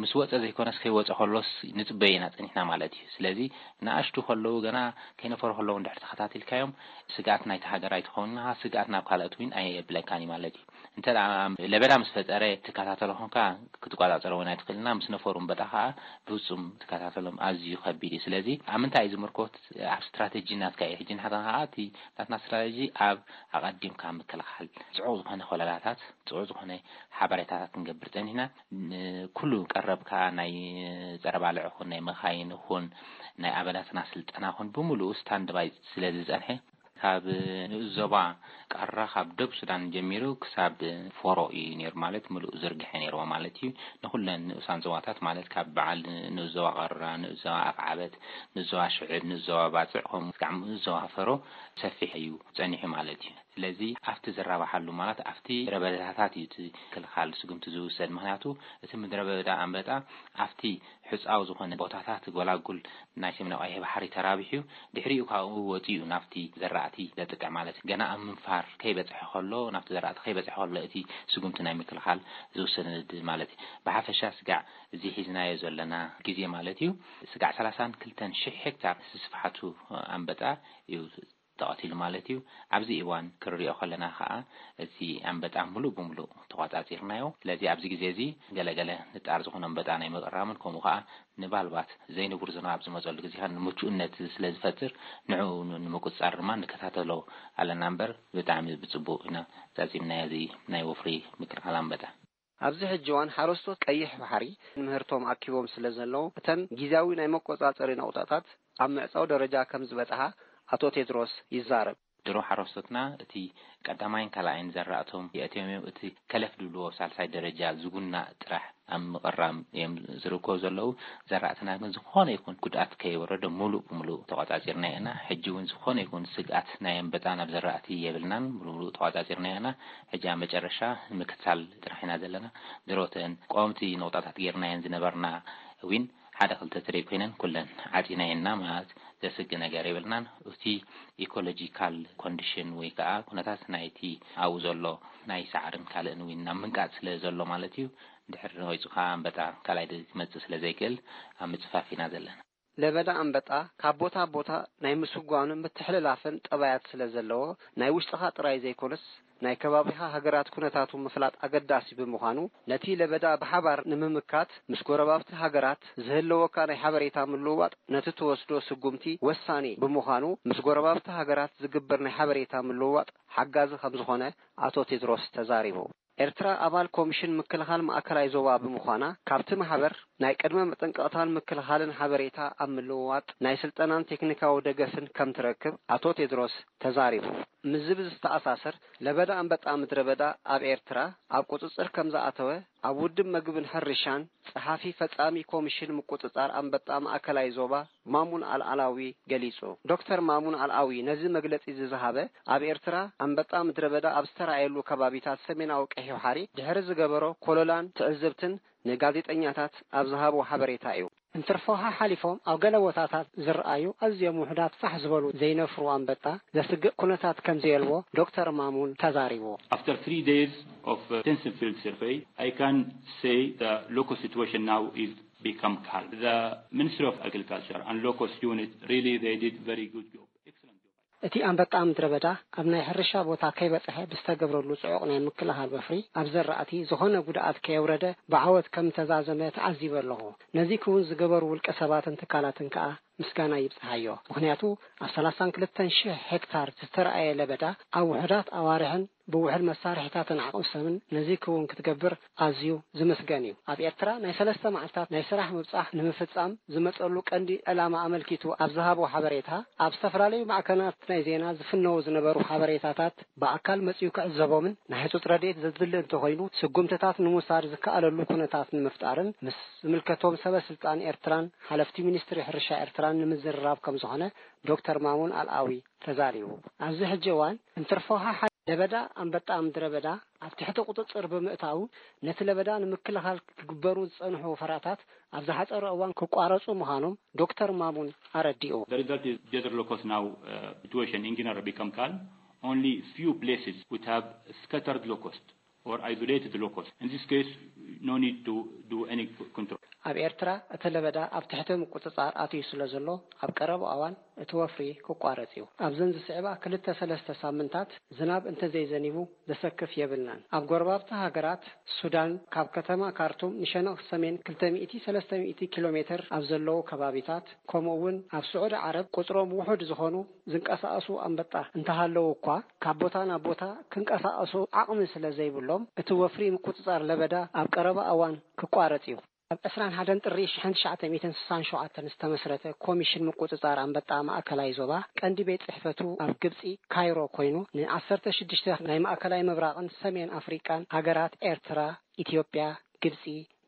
ምስ ወጸ ዘይኮነስ ከይወጸ ከሎስ ንጽበዮ ኢና ጸኒሕና ማለት እዩ። ስለዚ ንኣሽቱ ከለዉ ገና ከይነፈሩ ከለዉ እንድሕር ተኸታቲልካዮም ስግኣት ናይቲ ሃገር ኣይትኸውን ኢኻ፣ ስግኣት ናብ ካልኦት እውን ኣየብለካን እዩ ማለት እዩ። እንተ ደኣ ለበዳ ምስ ፈጠረ ትከታተሎ ኾንካ ክትቆጻጸሮ እውን ኣይትኽእልና፣ ምስ ነፈሩ እምበጣ ኸኣ ብፍጹም ትከታተሎም ኣዝዩ ከቢድ እዩ። ስለዚ ኣብ ምንታይ እዩ ዝምርኮት? ኣብ ስትራተጂ ናትካ እዩ። ሕጂ ንሕና ኸኣ እቲ ናትና ስትራተጂ ኣብ ኣቐዲምካ ምክልኻል፣ ጽዑቕ ዝኾነ ኮለላታት፣ ጽዑቕ ዝኾነ ሓበሬታታት ክንገብር ጸኒሕና። ን-፣ ኩሉ ቀረብ ከኣ ናይ ጸረ ባልዕ ይኹን ናይ መኻይን ይኹን ናይ ኣባላትና ስልጠና ይኹን ብምሉኡ ስታንድ ባይ ስለ ዝጸንሐ፣ ካብ ንኡስ ዞባ ቃራ ካብ ደቡብ ሱዳን ጀሚሩ ክሳብ ፎሮ እዩ ነይሩ፣ ማለት ምሉእ ዝርግሐ ነይርዎ ማለት እዩ። ንኹለን ንኡሳን ዞባታት ማለት ካብ በዓል ንኡስ ዞባ ቃራ፣ ንኡስ ዞባ ኣፍዓበት፣ ንኡስ ዞባ ሽዕብ፣ ንኡስ ዞባ ባጽዕ ከምኡ ክሳዕ ንኡስ ዞባ ፈሮ ሰፊሕ እዩ ጸኒሑ ማለት እዩ። ስለዚ ኣብቲ ዝራባሓሉ ማለት ኣብቲ ምድረ በዳታት እዩ እቲ ክልኻል ስጉምቲ ዝውሰድ። ምኽንያቱ እቲ ምድረ በዳ ኣንበጣ ኣብቲ ሕጻው ዝኾነ ቦታታት ጎላጉል ናይ ሰሜናዊ ቀይሕ ባሕሪ ተራቢሑ ድሕሪኡ ካብኡ ወጺኡ ናብቲ ዘራእቲ ዘጥቅዕ ማለት እዩ። ገና ኣብ ምንፋር ከይበጽሐ ከሎ፣ ናብቲ ዘራእቲ ከይበጽሐ ከሎ እቲ ስጉምቲ ናይ ምክልኻል ዝውሰድ ማለት እዩ። ብሓፈሻ ስጋዕ እዚ ሒዝናዮ ዘለና ግዜ ማለት እዩ ስጋዕ ሰላሳን ክልተን ሽሕ ሄክታር ስፍሓቱ ኣንበጣ እዩ ተቐቲሉ ማለት እዩ። ኣብዚ እዋን ክንሪኦ ከለና ከዓ እቲ ኣንበጣ ሙሉእ ብሙሉእ ተቋጻጺርናዮ። ስለዚ ኣብዚ ግዜ እዚ ገለገለ ንጣር ዝኾነ ኣንበጣ ናይ ምቕራምን ከምኡ ከዓ ንባልባት ዘይንቡር ዝናብ ዝመጸሉ ግዜ ከዓ ንምቹእነት ስለ ዝፈጥር ንዕኡ ንምቁጽጻር ድማ ንከታተሎ ኣለና እምበር ብጣዕሚ ብጽቡቕ ኢና ዛዚምናዮ እዚ ናይ ወፍሪ ምክልኻል ኣንበጣ። ኣብዚ ሕጂ እዋን ሓረስቶት ቀይሕ ባሕሪ ንምህርቶም ኣኪቦም ስለ ዘለዉ እተን ግዝያዊ ናይ መቆጻጸሪ ነቑጣታት ኣብ ምዕጻው ደረጃ ከም ዝበጽሓ ኣቶ ቴድሮስ ይዛረብ። ድሮ ሓረስቶትና እቲ ቀዳማይን ካልኣይን ዘራእቶም የእትዮም እዮም። እቲ ከለፍ ድብልዎ ሳልሳይ ደረጃ ዝጉናእ ጥራሕ ኣብ ምቕራም እዮም ዝርከቡ ዘለዉ። ዘራእትና ግን ዝኾነ ይኹን ጉድኣት ከይወረዶ ሙሉእ ብሙሉእ ተቋጻጺርና ኢና። ሕጂ እውን ዝኾነ ይኹን ስግኣት ናይ ኣንበጣ ናብ ዘራእቲ የብልናን። ሙሉእ ብሙሉእ ተቋጻጺርና ኢና። ሕጂ ኣብ መጨረሻ ንምክትታል ጥራሕ ኢና ዘለና። ድሮ እተን ቀወምቲ ነቑጣታት ጌርናየን ዝነበርና እውን ሓደ ክልተ ትሪብ ኮይነን ኩለን ዓጺናየና ማለት ዘስግእ ነገር የብልናን። እቲ ኢኮሎጂካል ኮንዲሽን ወይ ከዓ ኩነታት ናይቲ ኣብኡ ዘሎ ናይ ሳዕርን ካልእን እውን ናብ ምንቃጽ ስለ ዘሎ ማለት እዩ። ድሕሪ ወይፁ ከዓ ኣንበጣ ካልኣይ ድ-፣ ክመጽእ ስለ ዘይክእል ኣብ ምጽፋፍ ኢና ዘለና። ለበዳ ኣንበጣ ካብ ቦታ ቦታ ናይ ምስጓምን ምትሕልላፍን ጠባያት ስለ ዘለዎ ናይ ውሽጥኻ ጥራይ ዘይኮነስ ናይ ከባቢኻ ሃገራት ኩነታቱ ምፍላጥ ኣገዳሲ ብምዃኑ ነቲ ለበዳ ብሓባር ንምምካት ምስ ጎረባብቲ ሃገራት ዝህልወካ ናይ ሓበሬታ ምልውዋጥ ነቲ ትወስዶ ስጉምቲ ወሳኒ ብምዃኑ ምስ ጎረባብቲ ሃገራት ዝግበር ናይ ሓበሬታ ምልውዋጥ ሓጋዚ ከም ዝኾነ ኣቶ ቴድሮስ ተዛሪቡ። ኤርትራ ኣባል ኮሚሽን ምክልኻል ማእከላይ ዞባ ብምዃና፣ ካብቲ ማሕበር ናይ ቅድመ መጠንቀቕታን ምክልኻልን ሓበሬታ ኣብ ምልውዋጥ፣ ናይ ስልጠናን ቴክኒካዊ ደገፍን ከም ትረክብ ኣቶ ቴድሮስ ተዛሪቡ። ምስዚ ብዝተኣሳሰር፣ ለበዳ ኣንበጣ ምድረ በዳ ኣብ ኤርትራ ኣብ ቁጽጽር ከም ዝኣተወ፣ ኣብ ውድብ መግብን ሕርሻን ጸሓፊ ፈጻሚ ኮሚሽን ምቁጽጻር ኣንበጣ ማእከላይ ዞባ ማሙን ኣልኣላዊ ገሊጹ። ዶክተር ማሙን ኣልኣዊ ነዚ መግለጺ እዚ ዝሃበ፣ ኣብ ኤርትራ ኣንበጣ ምድረ በዳ ኣብ ዝተራእየሉ ከባቢታት ሰሜናዊ ቀይሕ ባሕሪ ድሕሪ ዝገበሮ ኮለላን ትዕዝብትን ንጋዜጠኛታት ኣብ ዝሃቦ ሓበሬታ እዩ። እንትርፎ ሓሓሊፎም ኣብ ገለ ቦታታት ዝረኣዩ ኣዝዮም ውሑዳት ፋሕ ዝበሉ ዘይነፍሩ ኣንበጣ ዘስግእ ኩነታት ከም ዘየልቦ ዶክተር ማሙን ተዛሪቡ። After three days of uh, intensive field survey, I can say the locust situation now is become calm. The Ministry of Agriculture and Locust Unit, really, they did very good job. Excellent job. እቲ ኣንበጣ ምድረ በዳ ኣብ ናይ ሕርሻ ቦታ ከይበጽሐ ብዝተገብረሉ ጽዑቕ ናይ ምክልኻል ወፍሪ፣ ኣብ ዘራእቲ ዝኾነ ጉድኣት ከየውረደ ብዓወት ከም ተዛዘመ ተዓዚበ ኣለኹ። ነዚ ክውን ዝገበሩ ውልቀ ሰባትን ትካላትን ከኣ ምስጋና ይብጽሓዮ። ምኽንያቱ፣ ኣብ ሰላሳን ክልተን ሽሕ ሄክታር ዝተራእየ ለበዳ ኣብ ውሑዳት ኣዋርሕን ብውሕድ መሳርሒታትን ዓቕሚ ሰብን ነዚ ክውን ክትገብር ኣዝዩ ዝምስገን እዩ። ኣብ ኤርትራ ናይ ሰለስተ መዓልታት ናይ ስራሕ ምብጻሕ ንምፍጻም ዝመጸሉ ቀንዲ ዕላማ ኣመልኪቱ ኣብ ዝሃቦ ሓበሬታ፣ ኣብ ዝተፈላለዩ ማዕከናት ናይ ዜና ዝፍነዉ ዝነበሩ ሓበሬታታት ብኣካል መጺኡ ክዕዘቦምን ናይ ህጹጽ ረድኤት ዘድሊ እንተኾይኑ ስጉምትታት ንምውሳድ ዝከኣለሉ ኩነታት ንምፍጣርን ምስ ዝምልከቶም ሰበ ስልጣን ኤርትራን ሓለፍቲ ሚኒስትሪ ሕርሻ ኤርትራን ንምዝርራብ ከም ዝኾነ ዶክተር ማሙን ኣልኣዊ ተዛሪቡ። ኣብዚ ሕጂ እዋን እንትርፎ ሓሓ ለበዳ ኣንበጣ ምድረ በዳ ኣብ ትሕቲ ቁጽጽር ብምእታዉ፣ ነቲ ለበዳ ንምክልኻል ክግበሩ ዝጸንሑ ወፈራታት ኣብ ዝሓጸረ እዋን ክቋረጹ ምዃኖም ዶክተር ማሙን ኣረዲኡ። The result is desert locust now uh, situation in general become calm. Only few places would have scattered locust or isolated locust. In this case, no need to do any c-, control. ኣብ ኤርትራ እቲ ለበዳ ኣብ ትሕቲ ምቁጽጻር ኣትዩ ስለ ዘሎ፣ ኣብ ቀረባ እዋን እቲ ወፍሪ ክቋረጽ እዩ። ኣብዘን ዝስዕባ ክልተ ሰለስተ ሳምንታት ዝናብ እንተዘይዘኒቡ ዘሰክፍ የብልናን። ኣብ ጎረባብቲ ሃገራት ሱዳን፣ ካብ ከተማ ካርቱም ንሸነኽ ሰሜን ክልተ ሚእቲ ሰለስተ ሚእቲ ኪሎ ሜትር ኣብ ዘለዉ ከባቢታት፣ ከምኡ እውን ኣብ ስዑዲ ዓረብ ቁጽሮም ውሑድ ዝኾኑ ዝንቀሳቐሱ ኣንበጣ እንተሃለዉ እኳ፣ ካብ ቦታ ናብ ቦታ ክንቀሳቐሱ ዓቕሚ ስለ ዘይብሎም፣ እቲ ወፍሪ ምቁጽጻር ለበዳ ኣብ ቀረባ እዋን ክቋረጽ እዩ። ኣብ ዕስራን ሓደን ጥሪ ሽሕን ትሽዓተ ሚእትን ስሳን ሸውዓተን ዝተመስረተ ኮሚሽን ምቁጽጻር ኣንበጣ ማእከላይ ዞባ ቀንዲ ቤት ጽሕፈቱ ኣብ ግብጺ ካይሮ ኮይኑ፣ ንዓሰርተ ሽዱሽተ ናይ ማእከላይ ምብራቕን ሰሜን ኣፍሪቃን ሃገራት ኤርትራ፣ ኢትዮጵያ፣ ግብጺ፣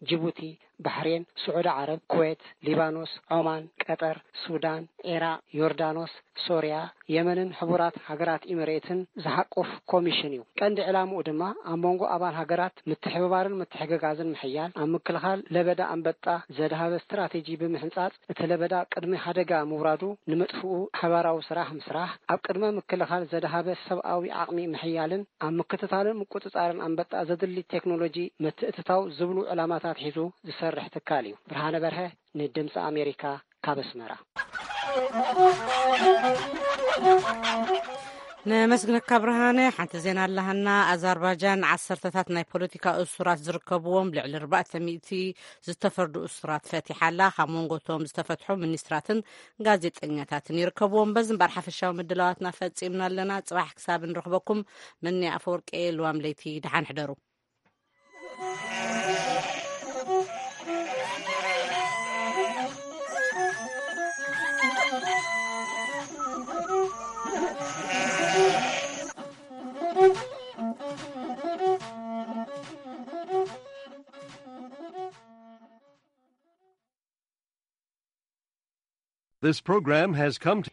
ጅቡቲ፣ ባሕሬን፣ ስዑዲ ዓረብ፣ ኩዌት፣ ሊባኖስ፣ ዖማን፣ ቀጠር፣ ሱዳን፣ ዒራቕ፣ ዮርዳኖስ፣ ሶርያ፣ የመንን ሕቡራት ሃገራት ኢሚሬትን ዝሓቁፍ ኮሚሽን እዩ። ቀንዲ ዕላምኡ ድማ ኣብ መንጎ ኣባል ሃገራት ምትሕብባርን ምትሕግጋዝን ምሕያል፣ ኣብ ምክልኻል ለበዳ ኣንበጣ ዘድሃበ ስትራቴጂ ብምሕንጻጽ፣ እቲ ለበዳ ቅድሚ ሓደጋ ምውራዱ ንምጥፍኡ ሓባራዊ ስራሕ ምስራሕ፣ ኣብ ቅድመ ምክልኻል ዘድሃበ ሰብኣዊ ዓቕሚ ምሕያልን ኣብ ምክትታልን ምቁጽጻርን ኣንበጣ ዘድሊ ቴክኖሎጂ ምትእትታው ዝብሉ ዕላማታት ሒዙ ዝሰርሕ ትካል እዩ። ብርሃነ በርሀ፣ ንድምፂ ኣሜሪካ፣ ካብ ኣስመራ። ነመስግነካ ብርሃነ። ሓንቲ ዜና ኣለሃና። ኣዘርባጃን ዓሰርተታት ናይ ፖለቲካ እሱራት ዝርከብዎም ልዕሊ ኣርባዕተ ሚእቲ ዝተፈርዱ እሱራት ፈቲሓ ኣላ። ካብ መንጎቶም ዝተፈትሑ ሚኒስትራትን ጋዜጠኛታትን ይርከብዎም። በዚ እምበር ሓፈሻዊ ምድላዋትና ፈጺምና ኣለና። ጽባሕ ክሳብ ንረኽበኩም፣ መኒ ኣፈወርቂ፣ ልዋም ለይቲ፣ ደሓን ሕደሩ። This program has come to